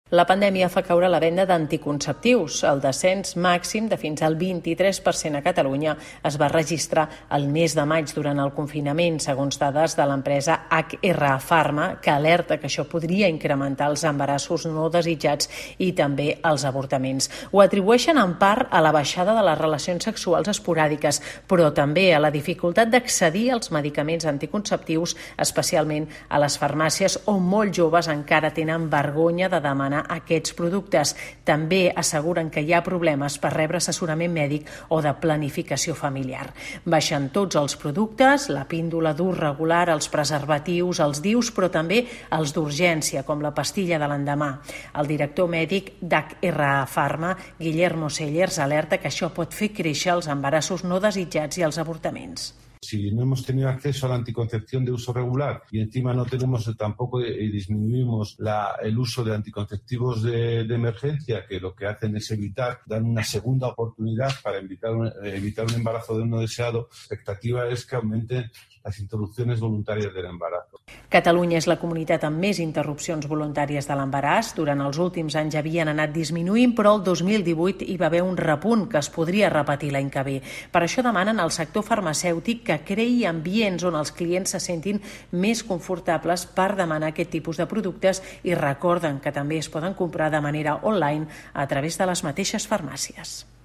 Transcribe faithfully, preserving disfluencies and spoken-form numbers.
La pandèmia fa caure la venda d'anticonceptius. El descens màxim de fins al vint-i-tres per cent a Catalunya es va registrar el mes de maig durant el confinament, segons dades de l'empresa H R Pharma, que alerta que això podria incrementar els embarassos no desitjats i també els avortaments. Ho atribueixen en part a la baixada de les relacions sexuals esporàdiques, però també a la dificultat d'accedir als medicaments anticonceptius, especialment a les farmàcies on molts joves encara tenen vergonya de demanar aquests productes. També asseguren que hi ha problemes per rebre assessorament mèdic o de planificació familiar. Baixen tots els productes, la píndola d'ús regular, els preservatius, els D I Us, però també els d'urgència, com la pastilla de l'endemà. El director mèdic d'H R Pharma, Guillermo Sellers, alerta que això pot fer créixer els embarassos no desitjats i els avortaments. Si no hemos tenido acceso a la anticoncepción de uso regular y encima no tenemos tampoco y disminuimos la, el uso de anticonceptivos de, de emergencia, que lo que hacen es evitar, dan una segunda oportunidad para evitar un, evitar un embarazo de no deseado, la expectativa es que aumenten las interrupciones voluntarias del embarazo. Catalunya és la comunitat amb més interrupcions voluntàries de l'embaràs. Durant els últims anys havien anat disminuint, però el dos mil divuit hi va haver un repunt que es podria repetir l'any que ve. Per això demanen al sector farmacèutic que creï ambients on els clients se sentin més confortables per demanar aquest tipus de productes i recorden que també es poden comprar de manera online a través de les mateixes farmàcies.